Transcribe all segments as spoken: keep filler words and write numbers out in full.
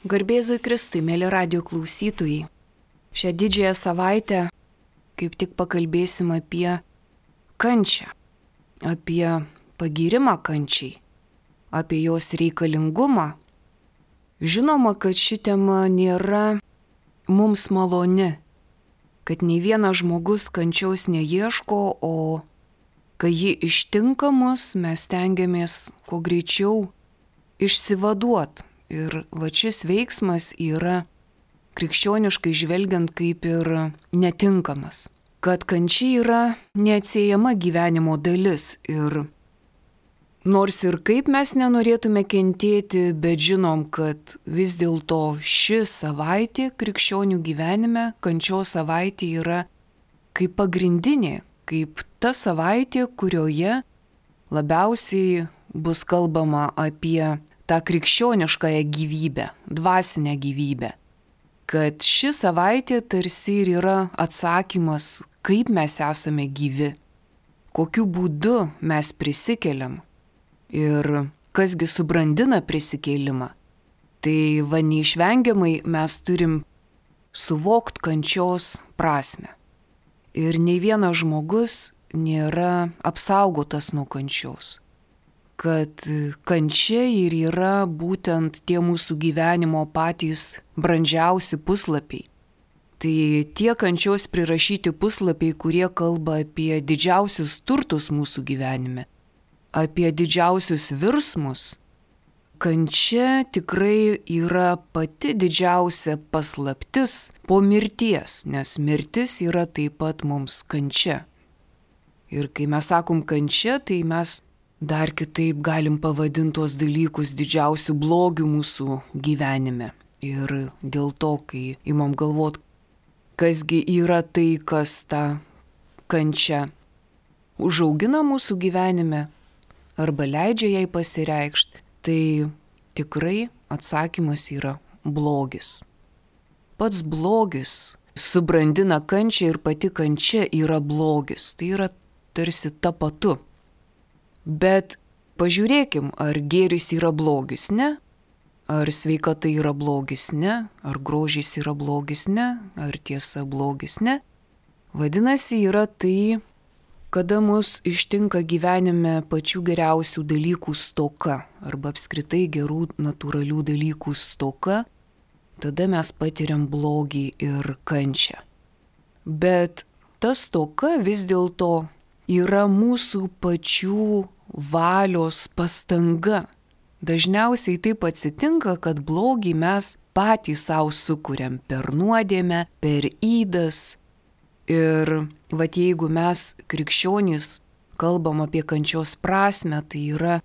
Garbėzui Kristui, mėly radijo klausytojai. Šią didžiąją savaitę kaip tik pakalbėsim apie kančią, apie pagyrimą kančiai, apie jos reikalingumą. Žinoma, kad ši tema nėra mums maloni, kad nei vienas žmogus kančiaus neieško, o kai ji ištinka mus, mes stengiamės kuo greičiau išsivaduot. Ir va šis veiksmas yra krikščioniškai žvelgiant kaip ir netinkamas. Kad kančia yra neatsiejama gyvenimo dalis ir nors ir kaip mes nenorėtume kentėti, bet žinom, kad vis dėlto ši savaitė krikščionių gyvenime, kančios savaitė yra kaip pagrindinė, kaip ta savaitė, kurioje labiausiai bus kalbama apie tą krikščioniškąją gyvybę, dvasinę gyvybę. Kad ši savaitė tarsi ir yra atsakymas, kaip mes esame gyvi, kokiu būdu mes prisikeliam ir kasgi subrandina prisikėlimą. Tai va neišvengiamai mes turim suvokt kančios prasmę. Ir nei vienas žmogus nėra apsaugotas nuo kančios. Kad kančia ir yra būtent tie mūsų gyvenimo patys brandžiausi puslapiai. Tai tie kančios prirašyti puslapiai, kurie kalba apie didžiausius turtus mūsų gyvenime, apie didžiausius virsmus. Kančia tikrai yra pati didžiausia paslaptis po mirties, nes mirtis yra taip pat mums kančia. Ir kai mes sakom kančia, tai mes dar kitaip galim pavadinti tuos dalykus didžiausių blogių mūsų gyvenime. Ir dėl to, kai imam galvot, kasgi yra tai, kas tą kančią užaugina mūsų gyvenime arba leidžia jai pasireikšti, tai tikrai atsakymas yra blogis. Pats blogis subrandina kančią ir pati kančia yra blogis. Tai yra tarsi tapatu. Bet pažiūrėkim, ar gėris yra blogis, ne? Ar sveikata yra blogis, ne? Ar grožis yra blogis, ne? Ar tiesa blogis, ne? Vadinasi, yra tai, kada mus ištinka gyvenime pačių geriausių dalykų stoka, arba apskritai gerų natūralių dalykų stoka, tada mes patiriam blogį ir kančią. Bet ta stoka vis dėlto yra mūsų pačių valios pastanga. Dažniausiai taip atsitinka, kad blogį mes patys savo sukuriam per nuodėmę, per ydas. Ir vat jeigu mes krikščionys kalbam apie kančios prasmę, tai yra,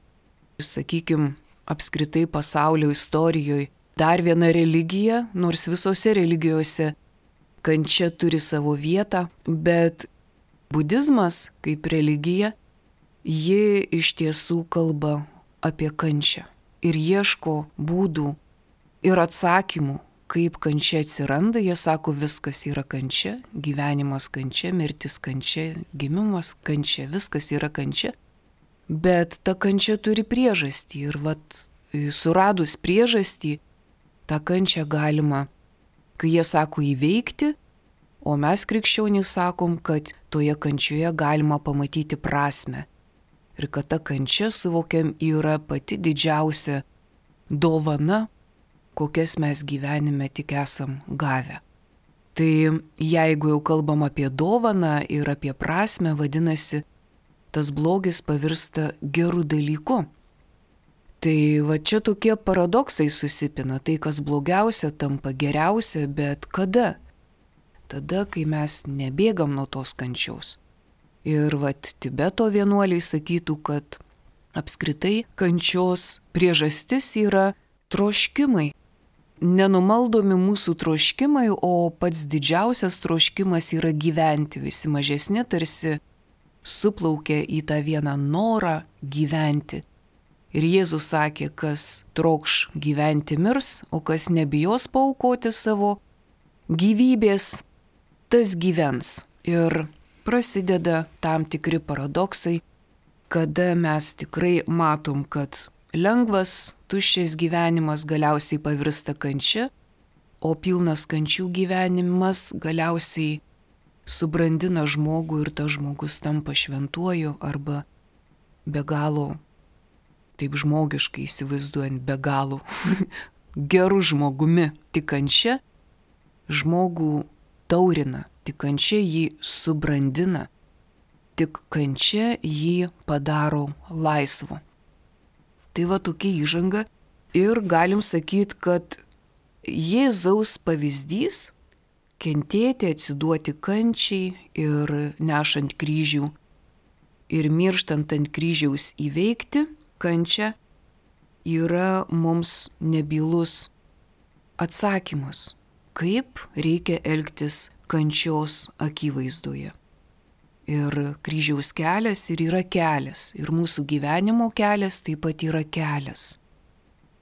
sakykim, apskritai pasaulio istorijoje dar viena religija, nors visose religijose kančia turi savo vietą, bet budizmas kaip religija, ji iš tiesų kalba apie kančią ir ieško būdų ir atsakymų, kaip kančia atsiranda. Jie sako, viskas yra kančia, gyvenimas kančia, mirtis kančia, gimimas kančia, viskas yra kančia. Bet ta kančia turi priežastį ir vat suradus priežastį, tą kančią galima, kai jie sako, įveikti, o mes krikščionys sakom, kad toje kančioje galima pamatyti prasmę. Ir kad ta kančia, suvokiam, yra pati didžiausia dovana, kokias mes gyvenime tik esam gavę. Tai jeigu jau kalbam apie dovaną ir apie prasmę, vadinasi, tas blogis pavirsta gerų dalykų. Tai va čia tokie paradoksai susipina, tai kas blogiausia tampa geriausia, bet kada? Tada, kai mes nebėgam nuo tos kančiaus. Ir vat Tibeto vienuoliai sakytų, kad apskritai kančios priežastis yra troškimai. Nenumaldomi mūsų troškimai, o pats didžiausias troškimas yra gyventi. Visi mažesni tarsi suplaukia į tą vieną norą gyventi. Ir Jėzus sakė, kas trokš gyventi mirs, o kas nebijos paaukoti savo gyvybės, tas gyvens. Ir prasideda tam tikri paradoksai, kada mes tikrai matom, kad lengvas, tuščias gyvenimas galiausiai pavirsta kančia, o pilnas kančių gyvenimas galiausiai subrandina žmogų ir tas žmogus tampa šventuoju arba be galo, taip žmogiškai įsivaizduojant, be galo geru žmogumi. Tik kančia žmogų taurina, tik kančia jį subrandina, tik kančia jį padaro laisvu. Tai va tokia įžanga ir galim sakyti, kad Jėzaus pavyzdys kentėti, atsiduoti kančiai ir nešant kryžių ir mirštant ant kryžiaus įveikti kančią yra mums nebylus atsakymas, kaip reikia elgtis kančios akivaizdoje. Ir kryžiaus kelias ir yra kelias, ir mūsų gyvenimo kelias taip pat yra kelias.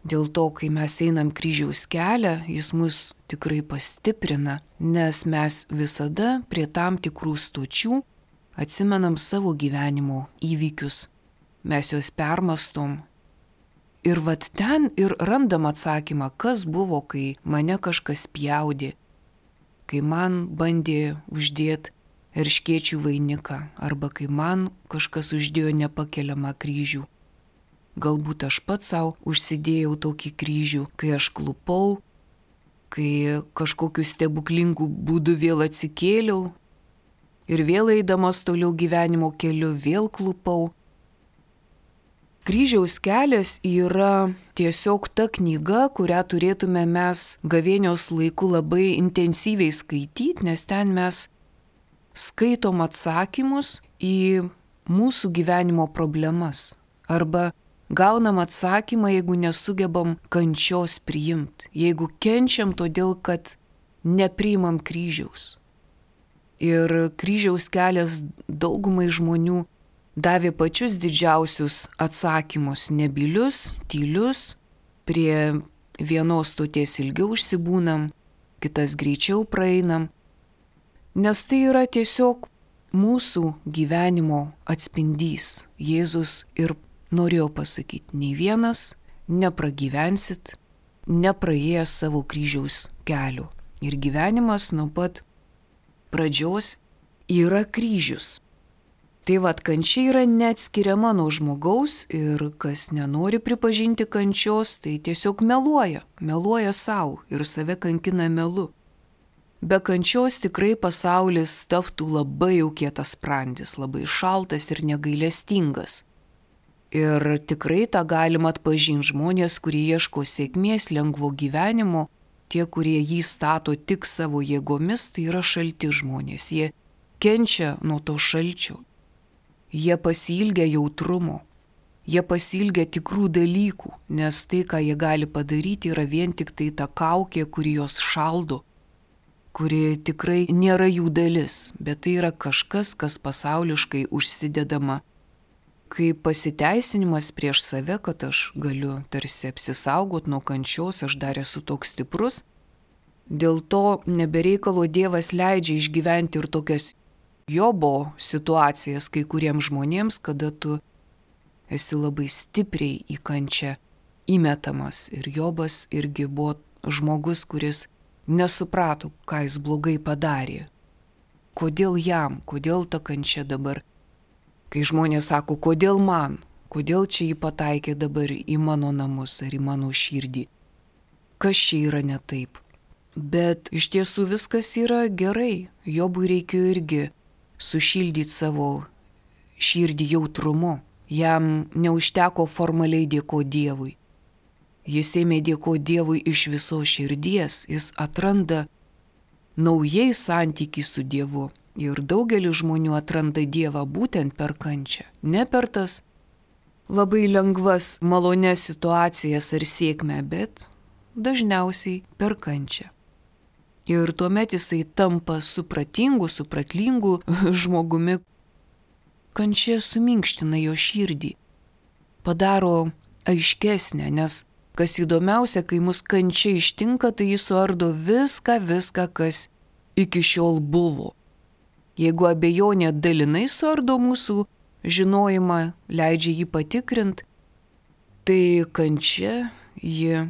Dėl to, kai mes einam kryžiaus kelią, jis mus tikrai pastiprina, nes mes visada prie tam tikrų stočių atsimenam savo gyvenimo įvykius, mes juos permastom. Ir vat ten ir randam atsakymą, kas buvo, kai mane kažkas pjaudė, kai man bandė uždėti erškėčių vainiką, arba kai man kažkas uždėjo nepakeliamą kryžių. Galbūt aš pats savo užsidėjau tokį kryžių, kai aš klupau, kai kažkokiu stebuklingu būdu vėl atsikėliau ir vėl eidamas toliau gyvenimo keliu vėl klupau. Kryžiaus kelias yra tiesiog ta knyga, kurią turėtume mes gavėnios laiku labai intensyviai skaityti, nes ten mes skaitom atsakymus į mūsų gyvenimo problemas arba gaunam atsakymą, jeigu nesugebam kančios priimti, jeigu kenčiam todėl, kad nepriimam kryžiaus. Ir kryžiaus kelias daugumai žmonių davė pačius didžiausius atsakymus, nebylius, tylius, prie vienos stoties ilgiau užsibūnam, kitas greičiau praeinam, nes tai yra tiesiog mūsų gyvenimo atspindys. Jėzus ir norėjau pasakyti, nei vienas nepragyvensit, nepraėjęs savo kryžiaus kelio. Ir gyvenimas nuo pat pradžios yra kryžius. Tai vad, kančia yra neatskiriama nuo žmogaus ir kas nenori pripažinti kančios, tai tiesiog meluoja, meluoja savo ir save kankina melu. Be kančios tikrai pasaulis taptų labai jau kietas sprandis, labai šaltas ir negailestingas. Ir tikrai tą galima atpažinti žmonės, kurie ieško sėkmės, lengvo gyvenimo, tie, kurie jį stato tik savo jėgomis, tai yra šalti žmonės. Jie kenčia nuo to šalčio. Jie pasiilgia jautrumo. Jie pasiilgia tikrų dalykų, nes tai, ką jie gali padaryti, yra vien tik tai ta kaukė, kuri juos šaldo, kuri tikrai nėra jų dalis, bet tai yra kažkas, kas pasauliškai užsidedama kaip pasiteisinimas prieš save, kad aš galiu tarsi apsisaugot nuo kančios, aš dar esu toks stiprus. Dėl to nebereikalo Dievas leidžia išgyventi ir tokias Jobo situacijas kai kuriems žmonėms, kada tu esi labai stipriai į kančią įmetamas. Ir Jobas irgi buvo žmogus, kuris nesuprato, ką jis blogai padarė. Kodėl jam, kodėl ta kančia dabar? Kai žmonės sako, kodėl man, kodėl čia jį pataikė dabar į mano namus ar į mano širdį, kas čia yra ne taip. Bet iš tiesų viskas yra gerai. Jobui reikėjo irgi sušildyti savo širdį jautrumu. Jam neužteko formaliai dėkoti Dievui. Jis ėmė dėkoti Dievui iš viso širdies, jis atranda naujai santykį su Dievu. Ir daugelis žmonių atranda Dievą būtent per kančią. Ne per tas labai lengvas, malonias situacijas ar sėkmę, bet dažniausiai per kančią. Ir tuomet jisai tampa supratingu, supratlingu žmogumi. Kančia suminkština jo širdį, padaro aiškesnę, nes kas įdomiausia, kai mus kančia ištinka, tai jis suardo viską, viską, kas iki šiol buvo. Jeigu abejonė dalinai suardo mūsų žinojimą, leidžia jį patikrinti, Tai kančia, ji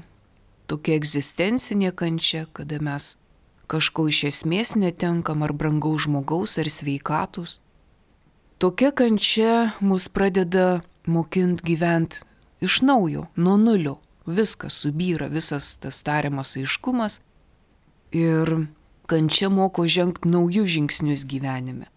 tokia egzistencinė kančia, kada mes kažko iš esmės netenkam ar brangaus žmogaus ar sveikatus. Tokia kančia mus pradeda mokinti gyventi iš naujo, nuo nulio. Viskas subyra, visas tas tariamas aiškumas ir kančia moko žengti naujus žingsnius gyvenime.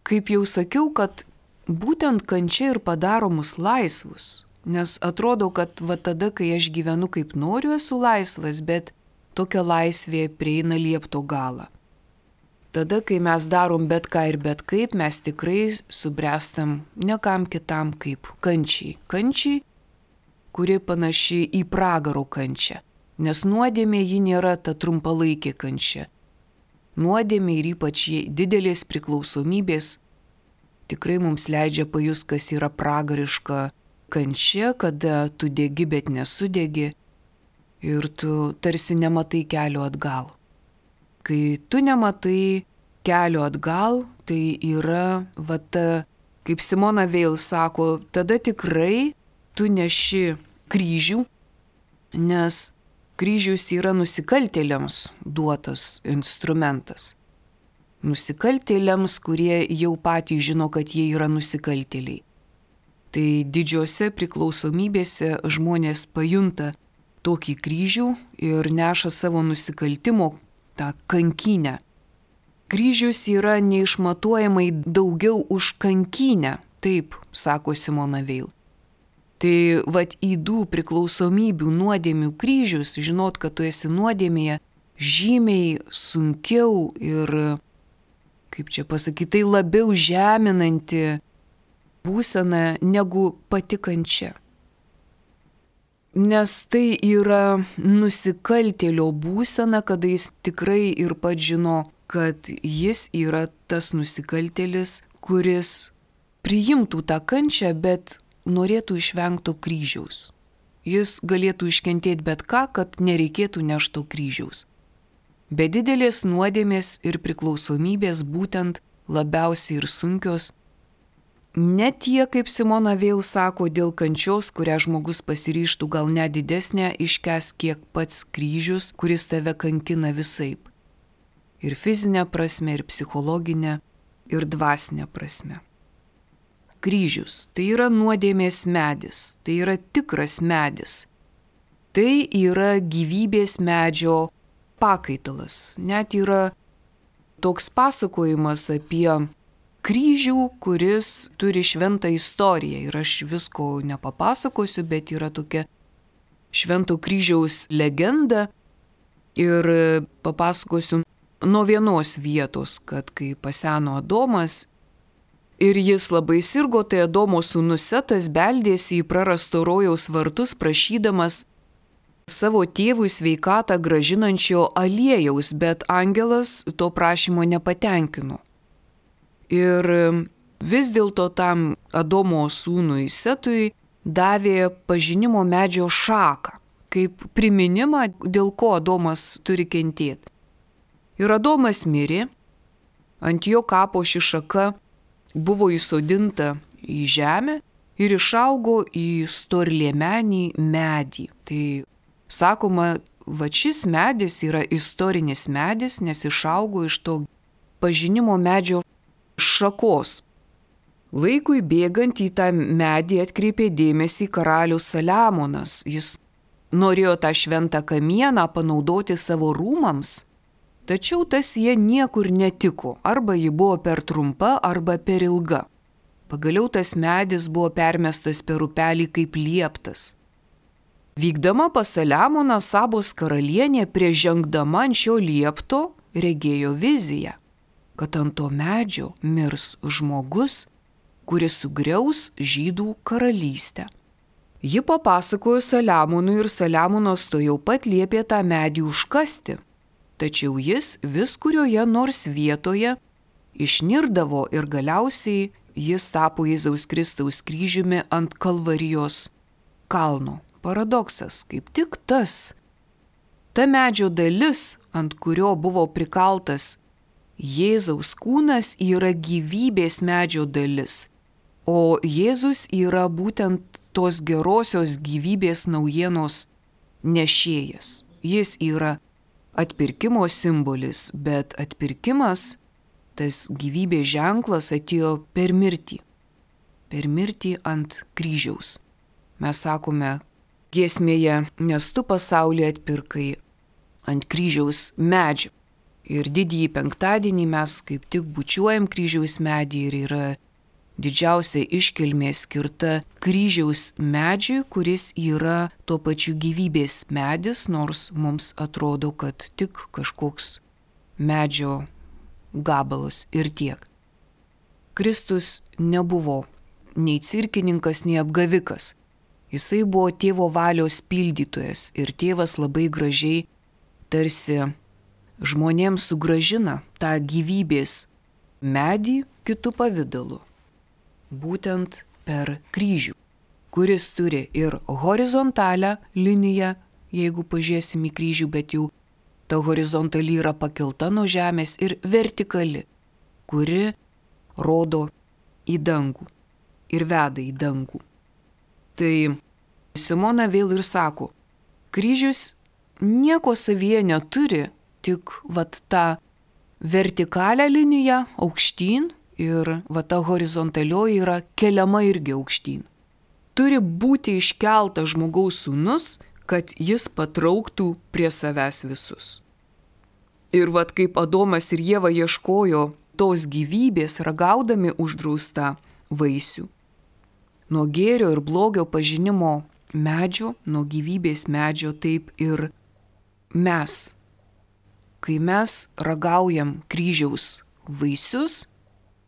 Kaip jau sakiau, kad būtent kančia ir padaro mus laisvus, nes atrodo, kad va tada, kai aš gyvenu kaip noriu, esu laisvas, bet tokia laisvė prieina liepto galą. Tada, kai mes darom bet ką ir bet kaip, mes tikrai subręstam ne kam kitam kaip kančiai. Kančiai, kuri panaši į pragaro kančią, nes nuodėmė ji nėra ta trumpalaikė kančia. Nuodėmė ir ypač didelės priklausomybės tikrai mums leidžia pajust, kas yra pragariška kančia, kada tu degi, bet nesudegi ir tu tarsi nematai kelio atgal. Kai tu nematai kelio atgal, tai yra, va ta, kaip Simona Veil sako, tada tikrai tu neši kryžių, nes kryžius yra nusikaltėliams duotas instrumentas. Nusikaltėliams, kurie jau patys žino, kad jie yra nusikaltėliai. Tai didžiose priklausomybėse žmonės pajunta tokį kryžių ir neša savo nusikaltimo tą kankinę. Kryžius yra neišmatuojamai daugiau už kankinę, taip sako Simona Veil. Tai vat įdų priklausomybių nuodėmių kryžius, žinot, kad tu esi nuodėmėje, žymiai sunkiau ir, kaip čia pasakyti, tai labiau žeminanti būsena negu pati kančia. Nes tai yra nusikaltėlio būsena, kada jis tikrai ir pats žino, kad jis yra tas nusikaltėlis, kuris priimtų tą kančią, bet norėtų išvengti kryžiaus. Jis galėtų iškentėti bet ką, kad nereikėtų nešto kryžiaus. Be didelės nuodėmės ir priklausomybės būtent labiausiai ir sunkios, ne tie, kaip Simona Veil sako, dėl kančios, kurią žmogus pasiryžtų gal net didesnę iškęs kiek pats kryžius, kuris tave kankina visaip. Ir fizinė prasme, ir psichologinė, ir dvasinė prasme. Kryžius – tai yra nuodėmės medis, tai yra tikras medis. Tai yra gyvybės medžio pakaitalas. Net yra toks pasakojimas apie kryžių, kuris turi šventą istoriją. Ir aš visko nepapasakosiu, bet yra tokia švento kryžiaus legenda. Ir papasakosiu nuo vienos vietos, kad kai paseno Adomas ir jis labai sirgo, tai Adomo sūnus Setas beldėsi į prarasto rojaus vartus, prašydamas savo tėvui sveikatą gražinančio aliejaus, bet angelas to prašymo nepatenkino. Ir vis dėlto tam Adomo sūnui Setui davė pažinimo medžio šaką, kaip priminimą, dėl ko Adomas turi kentėti. Ir Adomas mirė, ant jo kapo ši šaka buvo įsodinta į žemę ir išaugo į storliemenį medį. Tai sakoma, va šis medis yra istorinis medis, nes išaugo iš to pažinimo medžio šakos. Laikui bėgant į tą medį atkreipė dėmesį karalius Saliamonas. Jis norėjo tą šventą kamieną panaudoti savo rūmams, tačiau tas jie niekur netiko, arba ji buvo per trumpa, arba per ilga. Pagaliau tas medis buvo permestas per upelį kaip lieptas. Vykdama pas Saliamoną, Sabos karalienė prieš žengdama ant šio liepto regėjo viziją, kad ant to medžio mirs žmogus, kuris sugriaus žydų karalystę. Ji papasakojo Saliamonui ir Saliamonas to jau pat liepė tą medį užkasti, tačiau jis vis kurioje nors vietoje išnirdavo ir galiausiai jis tapo Jėzaus Kristaus kryžiumi ant Kalvarijos kalno. Paradoksas, kaip tik tas, ta medžio dalis, ant kurio buvo prikaltas Jėzaus kūnas, yra gyvybės medžio dalis, o Jėzus yra būtent tos gerosios gyvybės naujienos nešėjas. Jis yra atpirkimo simbolis, bet atpirkimas, tas gyvybės ženklas atėjo per mirtį. Per mirtį ant kryžiaus. Mes sakome giesmėje, nes tu pasaulį atpirkai ant kryžiaus medžio. Ir didįjį penktadienį mes kaip tik bučiuojam kryžiaus medį ir yra didžiausia iškilmė skirta kryžiaus medžiui, kuris yra tuo pačiu gyvybės medis, nors mums atrodo, kad tik kažkoks medžio gabalas ir tiek. Kristus nebuvo nei cirkininkas, nei apgavikas. Jisai buvo tėvo valios pildytojas ir tėvas labai gražiai tarsi žmonėms sugrąžina tą gyvybės medį kitų pavidalu. Būtent per kryžių, kuris turi ir horizontalią liniją, jeigu pažiūrėsim į kryžių, bet jau ta horizontali yra pakelta nuo žemės, ir vertikali, kuri rodo į dangų ir veda į dangų. Tai Simona vėl ir sako, kryžius nieko savyje neturi, tik vat tą vertikalią liniją aukštyn ir va ta horizontalioji yra keliama irgi aukštyn. Turi būti iškeltas žmogaus sūnus, kad jis patrauktų prie savęs visus. Ir vat kaip Adomas ir Ieva ieškojo tos gyvybės, ragaudami uždraustą vaisių. Nuo gėrio ir blogio pažinimo medžio, nuo gyvybės medžio, taip ir mes. Kai mes ragaujam kryžiaus vaisius,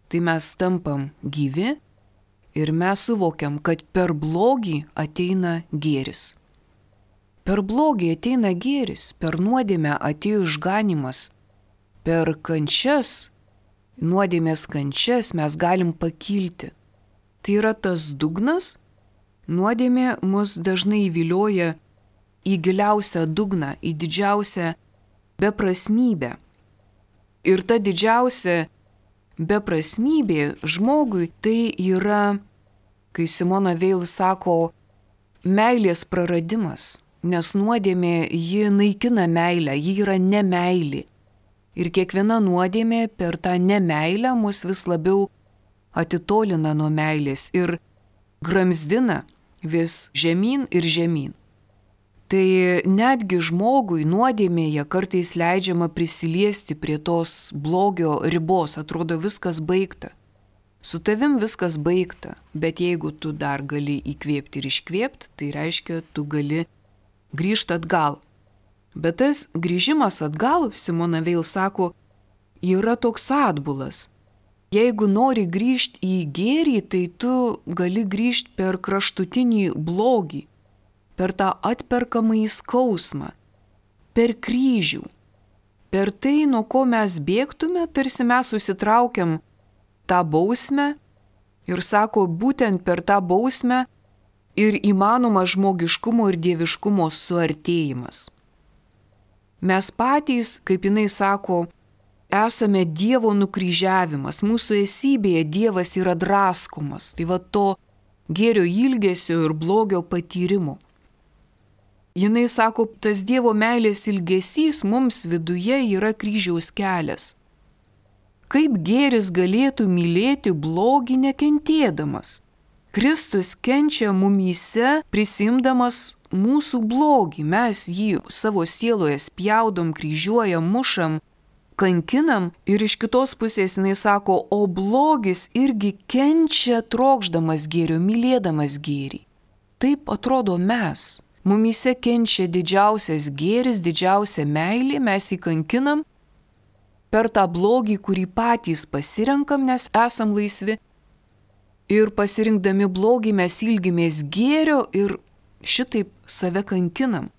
tai mes tampam gyvi ir mes suvokiam, kad per blogį ateina gėris. Per blogį ateina gėris, per nuodėmę atėjo išganimas, per kančias, nuodėmės kančias mes galim pakilti. Tai yra tas dugnas, nuodėmė mus dažnai įvilioja į giliausią dugną, į didžiausią beprasmybę. Ir ta didžiausia beprasmybė žmogui tai yra, kai Simona vėl sako, meilės praradimas, nes nuodėmė ji naikina meilę, ji yra nemeilė. Ir kiekviena nuodėmė per tą nemeilę mus vis labiau atitolina nuo meilės ir gramzdina vis žemyn ir žemyn. Tai netgi žmogui nuodėmėje kartais leidžiama prisiliesti prie tos blogio ribos, atrodo viskas baigta. Su tavim viskas baigta, bet jeigu tu dar gali įkvėpti ir iškvėpti, tai reiškia, tu gali grįžti atgal. Bet tas grįžimas atgal, Simona vėl sako, yra toks atbulas. Jeigu nori grįžti į gėrį, tai tu gali grįžti per kraštutinį blogį, per tą atperkamąjį skausmą, per kryžių, per tai, nuo ko mes bėgtume, tarsi mes susitraukiam tą bausmę ir sako, būtent per tą bausmę ir įmanoma žmogiškumo ir dieviškumo suartėjimas. Mes patys, kaip jinai sako, esame Dievo nukryžiavimas, mūsų esybėje Dievas yra draskomas, tai va to gėrio ilgesio ir blogio patyrimo. Jinai sako, tas Dievo meilės ilgesys mums viduje yra kryžiaus kelias. Kaip gėris galėtų mylėti blogį nekentėdamas? Kristus kenčia mumyse prisimdamas mūsų blogį, mes jį savo sieloje spjaudom, kryžiuojam, mušam, kankinam ir iš kitos pusės jinai sako, o blogis irgi kenčia trokšdamas gėrio, mylėdamas gėrį. Taip atrodo mes. Mumyse kenčia didžiausias gėris, didžiausia meilė, mes jį kankinam per tą blogį, kurį patys pasirenkam, nes esam laisvi. Ir pasirinkdami blogį mes ilgimės gėrio ir šitaip save kankinam.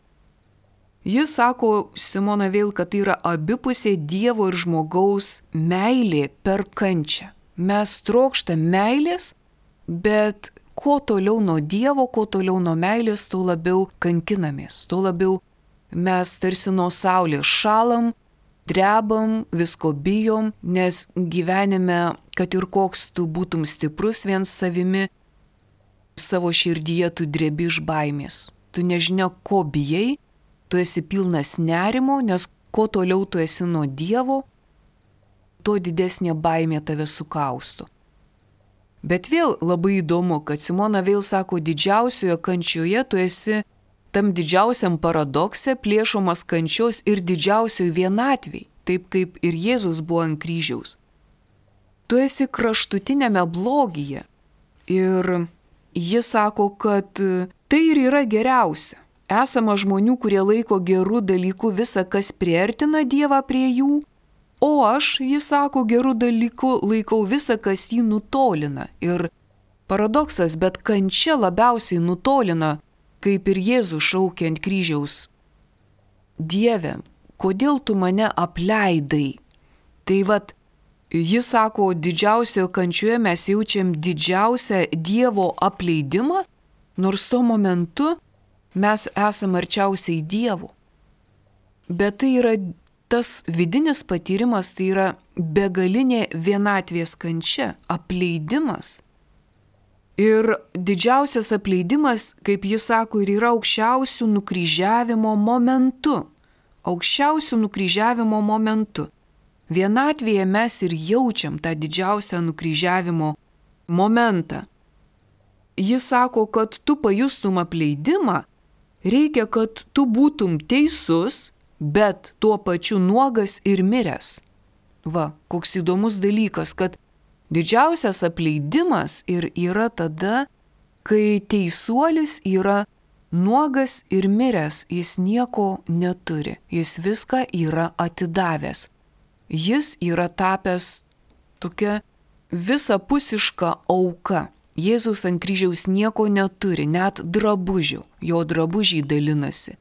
Jis sako, Simona vėl, kad tai yra abipusė Dievo ir žmogaus meilė per kančią. Mes trokštam meilės, bet kuo toliau nuo Dievo, kuo toliau nuo meilės, tuo labiau kankinamės, tuo labiau mes tarsi nuo saulės šalam, drebam, visko bijom, nes gyvenime, kad ir koks tu būtum stiprus vien savimi, savo širdyje tu drebi iš baimės. Tu nežinia, ko bijai, tu esi pilnas nerimo, nes kuo toliau tu esi nuo Dievo, tuo didesnė baimė tave sukausto. Bet vėl labai įdomu, kad Simona vėl sako, didžiausioje kančioje tu esi tam didžiausiam paradokse plėšomas kančios ir didžiausioj vienatviai, taip kaip ir Jėzus buvo ant kryžiaus. Tu esi kraštutinėme blogyje ir jis sako, kad tai ir yra geriausia. Esama žmonių, kurie laiko gerų dalykų visą, kas priartina Dievą prie jų, o aš, jis sako, gerų dalykų laikau visą, kas jį nutolina. Ir paradoksas, bet kančia labiausiai nutolina, kaip ir Jėzus šaukė ant kryžiaus. Dieve, kodėl tu mane apleidai? Tai vat, jis sako, didžiausioje kančioje mes jaučiam didžiausią Dievo apleidimą, nors tuo momentu mes esame arčiausiai Dievo. Bet tai yra tas vidinis patyrimas, tai yra begalinė vienatvės kančia, apleidimas. Ir didžiausias apleidimas, kaip jis sako, ir yra aukščiausių nukryžiavimo momentu. Aukščiausių nukryžiavimo momentu. Vienatvėje mes ir jaučiam tą didžiausią nukryžiavimo momentą. Jis sako, kad tu pajustum apleidimą, reikia, kad tu būtum teisus, bet tuo pačiu nuogas ir miręs. Va, koks įdomus dalykas, kad didžiausias apleidimas ir yra tada, kai teisuolis yra nuogas ir miręs, jis nieko neturi, jis viską yra atidavęs. Jis yra tapęs tokia visapusiška auka. Jėzus ant kryžiaus nieko neturi, net drabužių, jo drabužiai dalinasi.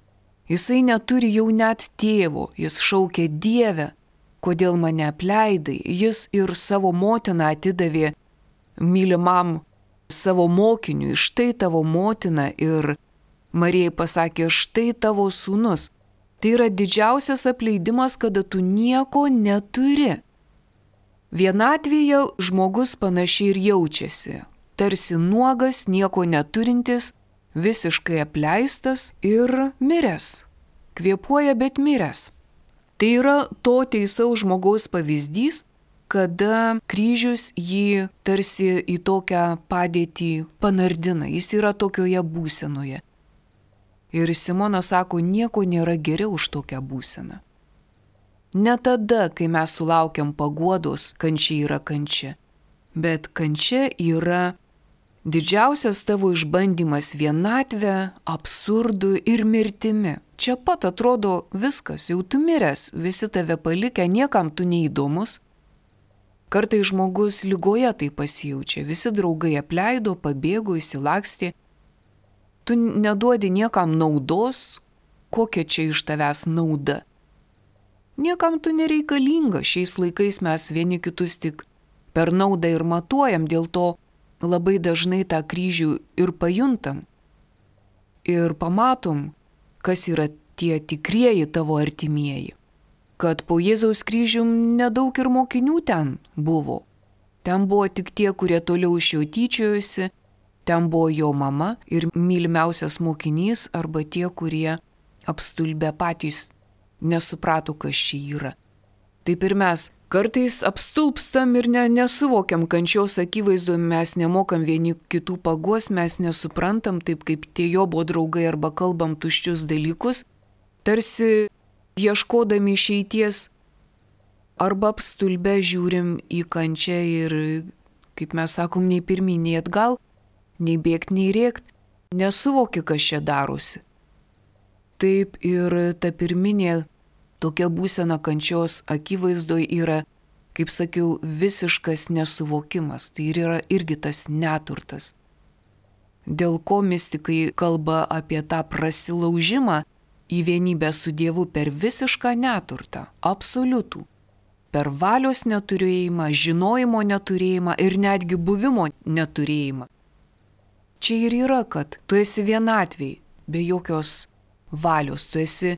Jisai neturi jau net tėvo, jis šaukia Dieve, kodėl mane apleidai. Jis ir savo motiną atidavė mylimam savo mokiniui, štai tavo motina, ir Marijai pasakė, štai tavo sūnus. Tai yra didžiausias apleidimas, kada tu nieko neturi. Vienatvėje žmogus panašiai ir jaučiasi, tarsi nuogas, nieko neturintis, visiškai apleistas ir miręs. Kvėpuoja, bet miręs. Tai yra to teisaus žmogaus pavyzdys, kada kryžius jį tarsi į tokią padėtį panardina. Jis yra tokioje būsenoje. Ir Simona sako, nieko nėra geriau už tokią būseną. Ne tada, kai mes sulaukiam paguodos, kančia yra kančia. Bet kančia yra didžiausias tavo išbandymas vienatvę, absurdu ir mirtimi. Čia pat atrodo viskas, jau tu miręs, visi tave palikę, niekam tu neįdomus. Kartai žmogus ligoje tai pasijaučia, visi draugai apleido, pabėgo, įsilakstė. Tu neduodi niekam naudos, kokia čia iš tavęs nauda. Niekam tu nereikalinga, šiais laikais mes vieni kitus tik per naudą ir matuojam, dėl to labai dažnai tą kryžių ir pajuntam. Ir pamatom, kas yra tie tikrieji tavo artimieji. Kad po Jėzaus kryžium nedaug ir mokinių ten buvo. Ten buvo tik tie, kurie toliau iš jo tyčiojosi, ten buvo jo mama ir mylimiausias mokinys arba tie, kurie apstulbę patys nesuprato, kas čia yra. Taip ir mes kartais apstulpstam ir ne, nesuvokiam kančios akivaizdoje, mes nemokam vieni kitų paguos, mes nesuprantam, taip kaip tie Jobo draugai arba kalbam tuščius dalykus, tarsi ieškodami išeities, arba apstulbę žiūrim į kančią ir, kaip mes sakom, nei pirmyn, nei atgal, nei bėgt, nei rėkt, nesuvoki, kas čia darosi. Taip ir ta pirminė tokia būsena kančios akivaizdoj yra, kaip sakiau, visiškas nesuvokimas. Tai ir yra irgi tas neturtas. Dėl ko mistikai kalba apie tą prasilaužimą į vienybę su Dievu per visišką neturtą, absoliutų. Per valios neturėjimą, žinojimo neturėjimą ir netgi buvimo neturėjimą. Čia ir yra, kad tu esi vienatvėj, be jokios valios, tu esi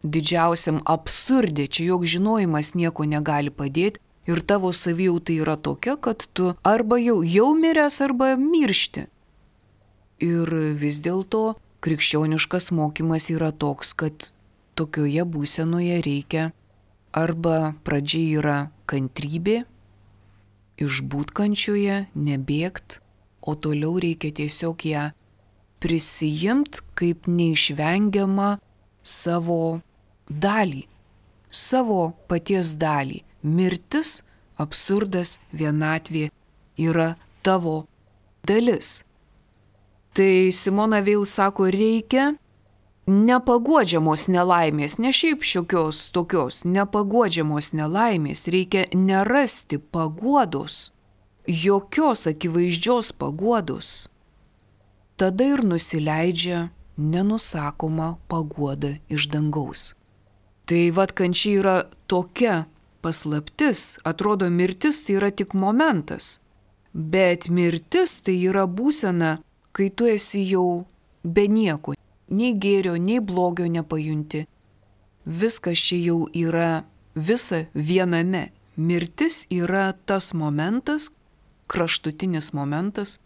didžiausiam absurdė, čia joks žinojimas nieko negali padėti ir tavo savijauta yra tokia, kad tu arba jau, jau miręs, arba miršti. Ir vis dėlto krikščioniškas mokymas yra toks, kad tokioje būsenoje reikia arba pradžia yra kantrybė, išbūt kančioje, nebėgt, o toliau reikia tiesiog ją prisijimt kaip neišvengiamą savo dalį, savo paties dalį. Mirtis, absurdas, vienatvė yra tavo dalis. Tai Simona Veil sako, reikia nepaguodžiamos nelaimės, ne šiaip šiokios tokios, nepaguodžiamos nelaimės, reikia nerasti paguodos, jokios akivaizdžios paguodos. Tada ir nusileidžia nenusakoma paguoda iš dangaus. Tai vat kančia yra tokia paslaptis, atrodo mirtis tai yra tik momentas, bet mirtis tai yra būsena, kai tu esi jau be nieko, nei gėrio, nei blogio nepajunti. Viskas čia jau yra visa viename. Mirtis yra tas momentas, kraštutinis momentas,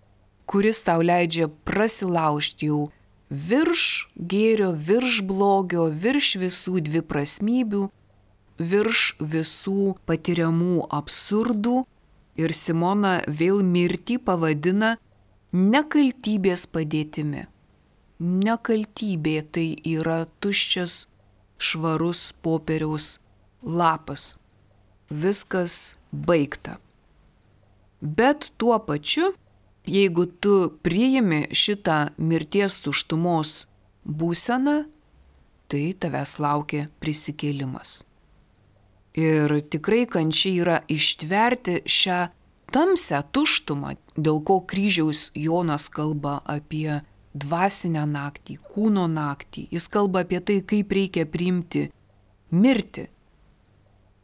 kuris tau leidžia prasilaužti jau virš gėrio, virš blogio, virš visų dviprasmybių, virš visų patiriamų absurdų. Ir Simona Veil mirtį pavadina nekaltybės padėtimi. Nekaltybė tai yra tuščias, švarus popieriaus lapas. Viskas baigta. Bet tuo pačiu, jeigu tu priimi šitą mirties tuštumos būseną, tai tavęs laukia prisikėlimas. Ir tikrai kančia yra ištverti šią tamsią tuštumą, dėl ko kryžiaus Jonas kalba apie dvasinę naktį, kūno naktį. Jis kalba apie tai, kaip reikia priimti mirtį.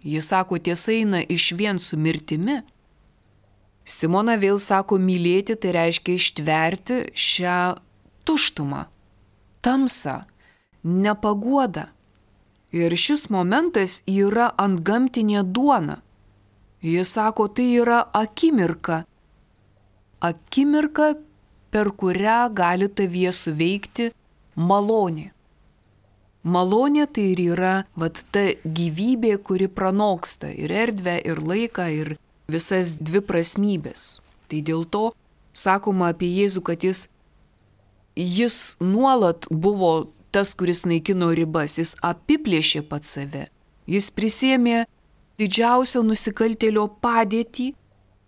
Jis sako, tiesa eina išvien su mirtimi. Simona Veil sako, mylėti tai reiškia ištverti šią tuštumą, tamsą, nepaguodą. Ir šis momentas yra antgamtinė duona. Jis sako, tai yra akimirka. Akimirka, per kurią gali tavyje suveikti malonė. Malonė tai ir yra vat, ta gyvybė, kuri pranoksta ir erdvę, ir laiką, ir visas dviprasmybės. Tai dėl to sakoma apie Jėzų, kad jis, jis nuolat buvo tas, kuris naikino ribas, jis apiplėšė pats save. Jis prisėmė didžiausio nusikaltėlio padėtį,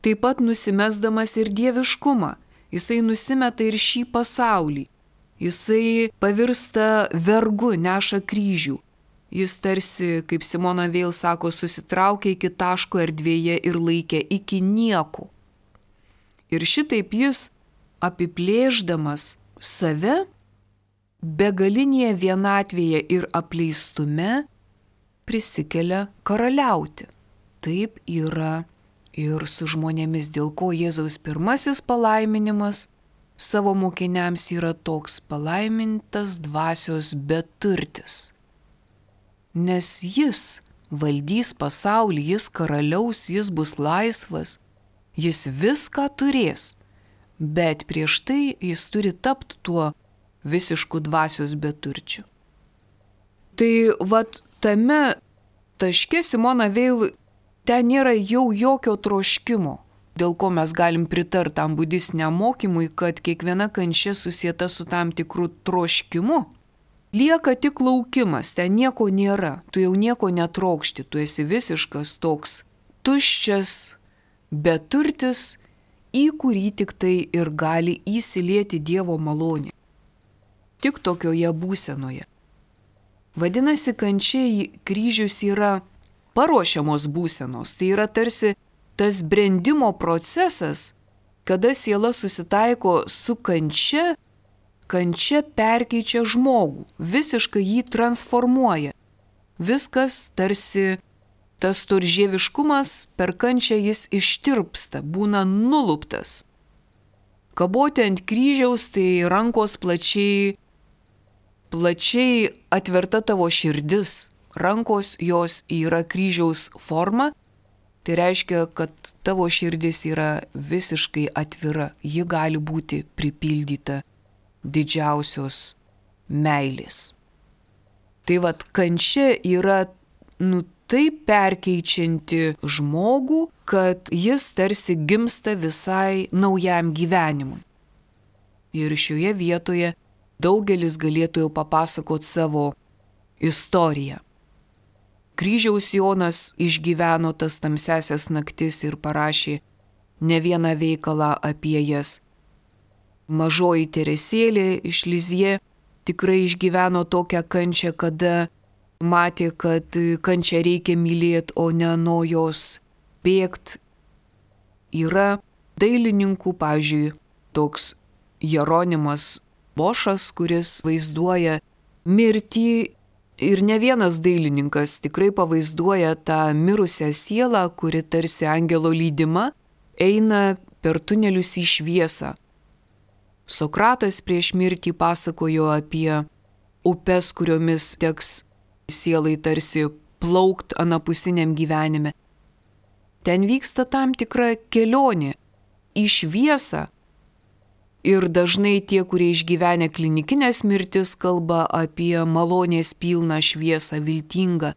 taip pat nusimesdamas ir dieviškumą. Jisai nusimeta ir šį pasaulį. Jisai pavirsta vergu, neša kryžių. Jis tarsi, kaip Simona Veil sako, susitraukė iki taško erdvėje ir laikė iki nieko. Ir šitaip jis, apiplėždamas save, begalinėje vienatvėje ir apleistume, prisikelia karaliauti. Taip yra ir su žmonėmis, dėl ko Jėzaus pirmasis palaiminimas savo mokiniams yra toks: palaimintas dvasios beturtis. Nes jis valdys pasaulį, jis karaliaus, jis bus laisvas, jis viską turės, bet prieš tai jis turi tapti tuo visišku dvasios beturčiu. Tai vat tame taške Simona Veil ten nėra jau jokio troškimo, dėl ko mes galim pritarti tam budistiniam mokymui, kad kiekviena kančia susieta su tam tikru troškimu. Lieka tik laukimas, ten nieko nėra, tu jau nieko netrokšti, tu esi visiškas toks tuščias, beturtis, į kurį tik tai ir gali įsilieti Dievo malonė. Tik tokioje būsenoje. Vadinasi, kančia kryžius yra paruošiamos būsenos, tai yra tarsi tas brendimo procesas, kada siela susitaiko su kančia, kančia perkeičia žmogų, visiškai jį transformuoja. Viskas tarsi tas storžieviškumas per kančią jis ištirpsta, būna nuluptas. Kaboti ant kryžiaus, tai rankos plačiai, plačiai atverta tavo širdis. Rankos jos yra kryžiaus forma, tai reiškia, kad tavo širdis yra visiškai atvira, ji gali būti pripildyta didžiausios meilės. Tai vat kančia yra, nu, taip perkeičianti žmogų, kad jis tarsi gimsta visai naujam gyvenimui. Ir šioje vietoje daugelis galėtų jau papasakoti savo istoriją. Kryžiaus Jonas išgyveno tas tamsiasias naktis ir parašė ne vieną veikalą apie jas. Mažoji Teresėlė iš Lizie tikrai išgyveno tokią kančią, kada matė, kad kančią reikia mylėti, o ne nuo jos bėgti. Yra dailininkų, pavyzdžiui, toks Jeronimas Bošas, kuris vaizduoja mirtį, ir ne vienas dailininkas tikrai pavaizduoja tą mirusią sielą, kuri tarsi angelo lydima eina per tunelius į šviesą. Sokratas prieš mirtį pasakojo apie upes, kuriomis teks sielai tarsi plaukt anapusiniam gyvenime. Ten vyksta tam tikra kelionė į šviesą. Ir dažnai tie, kurie išgyvenę klinikinės mirtis, kalba apie malonės pilną šviesą, viltingą,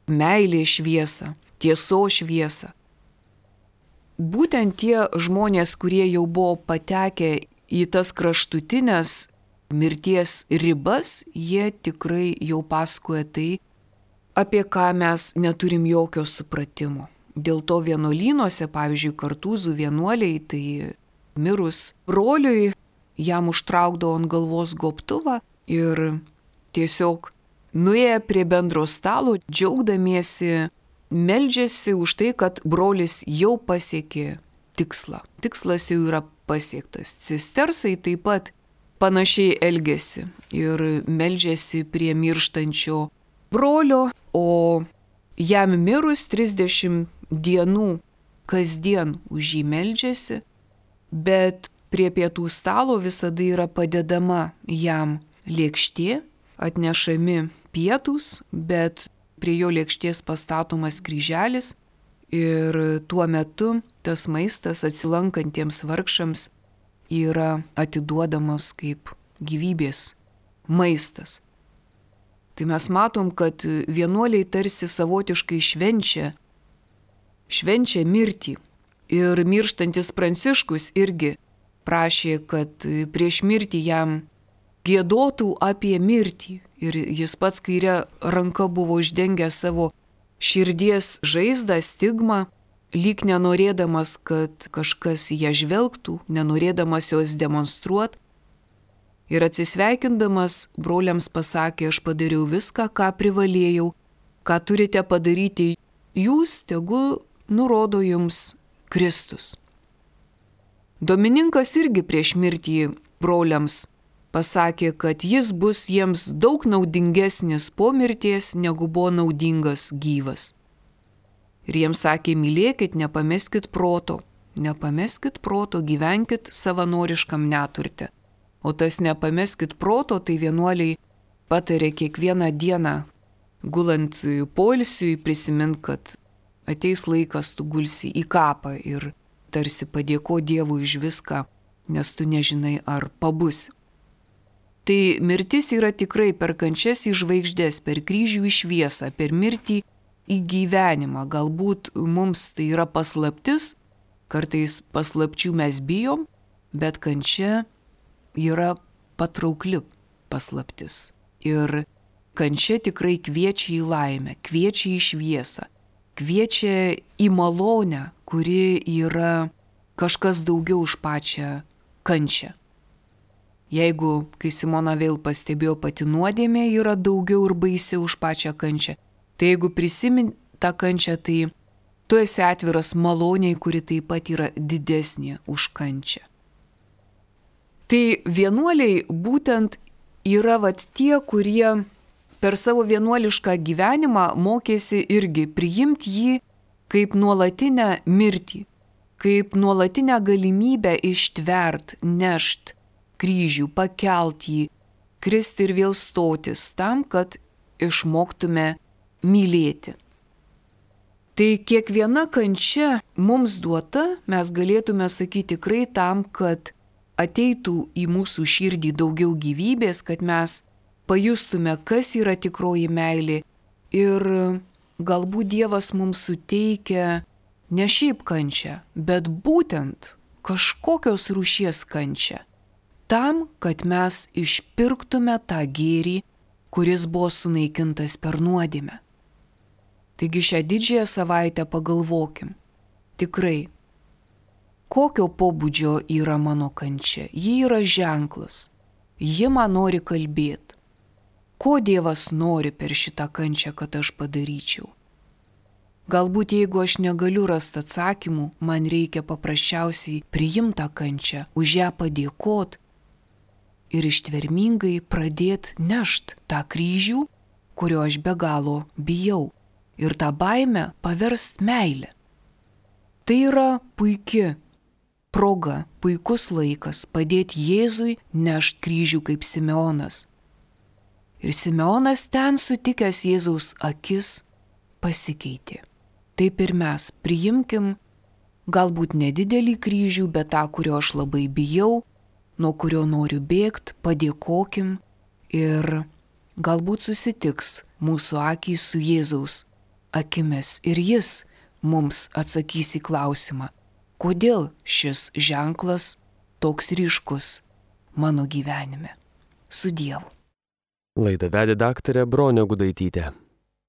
meilės šviesą, tiesos šviesą. Būtent tie žmonės, kurie jau buvo patekę į tas kraštutinės mirties ribas, jie tikrai jau pasakoja tai, apie ką mes neturim jokio supratimo. Dėl to vienuolynuose, pavyzdžiui, Kartūzų vienuoliai, tai mirus broliui, jam užtraukdavo ant galvos gobtuvą ir tiesiog nuėję prie bendro stalo, džiaugdamiesi, meldžiasi už tai, kad brolis jau pasiekė tikslą. Tikslas jau yra pasiektas. Cistersai taip pat panašiai elgesi ir meldžiasi prie mirštančio brolio, o jam mirus trisdešimt dienų kasdien už jį meldžiasi, bet prie pietų stalo visada yra padedama jam lėkštė, atnešami pietūs, bet prie jo lėkštės pastatomas kryželis ir tuo metu tas maistas atsilankantiems vargšams yra atiduodamas kaip gyvybės maistas. Tai mes matom, kad vienuoliai tarsi savotiškai švenčia, švenčia mirtį. Ir mirštantis Pranciškus irgi prašė, kad prieš mirtį jam giedotų apie mirtį. Ir jis pats kairė ranka buvo uždengęs savo širdies žaizdą, stigmą, lyg nenorėdamas, kad kažkas ją žvelgtų, nenorėdamas jos demonstruoti. Ir atsisveikindamas broliams pasakė, aš padariau viską, ką privalėjau, ką turite padaryti jūs, tegu nurodo jums Kristus. Domininkas irgi prieš mirtį broliams pasakė, kad jis bus jiems daug naudingesnis po mirties, negu buvo naudingas gyvas. Ir jiems sakė, mylėkit, nepameskit proto, nepameskit proto, gyvenkit savanoriškam neturte. O tas nepameskit proto, tai vienuoliai patarė kiekvieną dieną, gulant poilsiui, prisimint, kad ateis laikas, tu gulsi į kapą ir tarsi padėko Dievui už viską, nes tu nežinai, ar pabusi. Tai mirtis yra tikrai per kančias į žvaigždės, per kryžių į šviesą, per mirtį į gyvenimą. Galbūt mums tai yra paslaptis, kartais paslapčių mes bijom, bet kančia yra patraukli paslaptis. Ir kančia tikrai kviečia į laimę, kviečia į šviesą, kviečia į malonę, kuri yra kažkas daugiau už pačią kančią. Jeigu, kai Simona vėl pastebėjo, pati nuodėmė yra daugiau ir baisiau už pačią kančią, tai jeigu prisimint tą kančią, tai tu esi atviras maloniai, kuri taip pat yra didesnė už kančią. Tai vienuoliai būtent yra vat tie, kurie per savo vienuolišką gyvenimą mokėsi irgi priimti jį kaip nuolatinę mirtį, kaip nuolatinę galimybę ištvert, nešt kryžių, pakelt jį, kristi ir vėl stotis tam, kad išmoktume mylėti. Tai kiekviena kančia mums duota, mes galėtume sakyti tikrai tam, kad ateitų į mūsų širdį daugiau gyvybės, kad mes pajustume, kas yra tikroji meilė. Ir galbūt Dievas mums suteikia ne šiaip kančią, bet būtent kažkokios rūšies kančią. Tam, kad mes išpirktume tą gėrį, kuris buvo sunaikintas per nuodėmę. Taigi šią didžiąją savaitę pagalvokim. Tikrai, kokio pobūdžio yra mano kančia? Ji yra ženklas. Ji man nori kalbėti. Ko Dievas nori per šitą kančią, kad aš padaryčiau? Galbūt jeigu aš negaliu rasti atsakymų, man reikia paprasčiausiai priimti tą kančią, už ją padėkot ir ištvermingai pradėti nešt tą kryžių, kurio aš be galo bijau, ir tą baimę paverst meilę. Tai yra puiki proga, puikus laikas padėti Jėzui nešt kryžių kaip Simeonas. Ir Simeonas ten sutikęs Jėzaus akis pasikeitė. Taip ir mes priimkim galbūt nedidelį kryžių, bet tą, kurio aš labai bijau, nuo kurio noriu bėgti, padėkokim ir galbūt susitiks mūsų akys su Jėzaus akimis ir jis mums atsakys į klausimą, kodėl šis ženklas toks ryškus mano gyvenime. Su Dievu. Laidą vedė daktarė Bronė Gudaitytė.